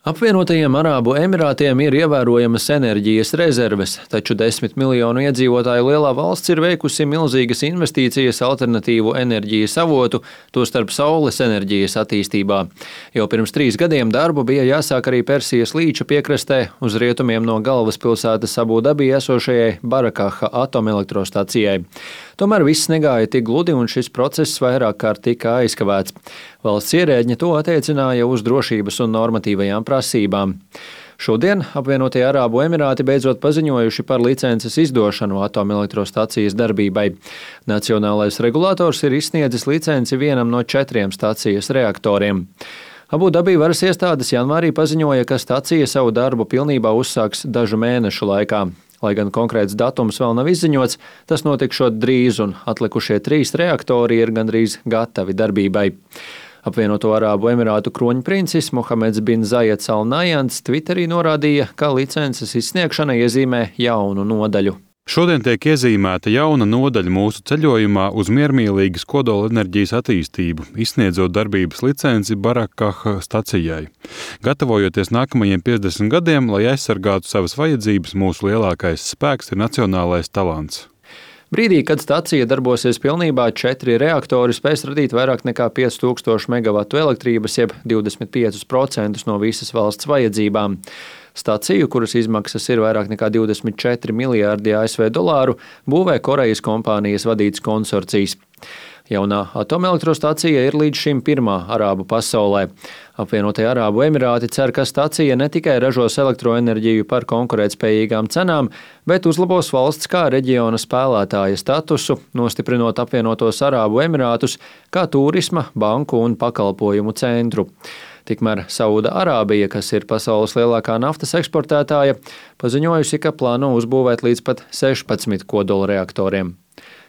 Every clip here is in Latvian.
Apvienotajiem Arābu Emirātiem ir ievērojamas enerģijas rezerves, taču 10 miljonu iedzīvotāju lielā valsts ir veikusi milzīgas investīcijas alternatīvu enerģijas avotu, tostarp saules enerģijas attīstībā. Jau pirms 3 gadiem darbu bija jāsāk arī Persijas līča piekrastē uz rietumiem no galvaspilsētas Abu Dabī esošajai Barakaha atomelektrostacijai. Tomēr viss negāja tik gludi un šis process vairāk kārt tika aizkavēts. Valsts ierēģi to attiecināja uz drošības un normatīvajām prasībām. Šodien apvienotie Arābu Emirāti beidzot paziņojuši par licences izdošanu atomelektrostacijas darbībai. Nacionālais regulators ir izsniedzis licenci vienam no 4 stacijas reaktoriem. Abu Dabī varas iestādes janvārī paziņoja, ka stacija savu darbu pilnībā uzsāks dažu mēnešu laikā. Lai gan konkrēts datums vēl nav izziņots, tas notikšot drīz un atlikušie 3 reaktori ir gandrīz gatavi darbībai. Apvienoto Arābu Emirātu kroņprincis Mohameds bin Zajeds Al Nahjans Twitterī norādīja, ka licences izsniegšana iezīmē jaunu nodaļu. Šodien tiek iezīmēta jauna nodaļa mūsu ceļojumā uz miermīlīgas kodolenerģijas attīstību, izsniedzot darbības licenci Barakaha stacijai. Gatavojoties nākamajiem 50 gadiem, lai aizsargātu savas vajadzības, mūsu lielākais spēks ir nacionālais talants. Brīdī, kad stacija darbosies pilnībā, 4 reaktori spēs radīt vairāk nekā 5000 megavatu elektrības, jeb 25% no visas valsts vajadzībām. Staciju, kuras izmaksas ir vairāk nekā 24 miljārdi ASV dolāru, būvē Korejas kompānijas vadīts konsorcijs. Jaunā atomelektrostacija ir līdz šim pirmā Arābu pasaulē. Apvienotie Arābu Emirāti cer, ka stacija ne tikai ražos elektroenerģiju par konkurētspējīgām cenām, bet uzlabos valsts kā reģiona spēlētāja statusu, nostiprinot apvienotos Arābu Emirātus kā turisma, banku un pakalpojumu centru. Tikmēr Sauda Arābija, kas ir pasaules lielākā naftas eksportētāja, paziņojusi, ka plāno uzbūvēt līdz pat 16 kodola reaktoriem.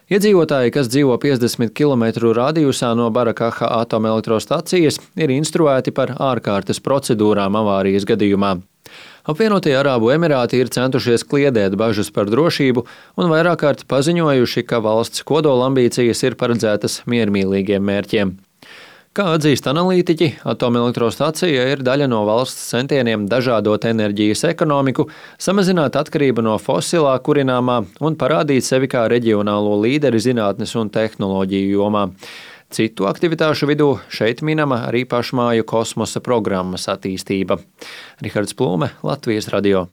Iedzīvotāji, kas dzīvo 50 km radiusā no Barakaha atomelektrostacijas, ir instruēti par ārkārtas procedūrām avārijas gadījumā. Apvienotie Arābu Emirāti ir centušies kliedēt bažas par drošību un vairāk kārt paziņojuši, ka valsts kodola ambīcijas ir paredzētas miermīlīgiem mērķiem. Kā atzīst analītiķi, atomelektrostacija ir daļa no valsts centieniem dažādot enerģijas ekonomiku, samazināt atkarību no fosilā kurināmā un parādīt sevi kā reģionālo līderi zinātnes un tehnoloģiju jomā. Citu aktivitāšu vidū šeit minama arī pašmāju kosmosa programmas attīstība. Rihards Plūme, Latvijas radio.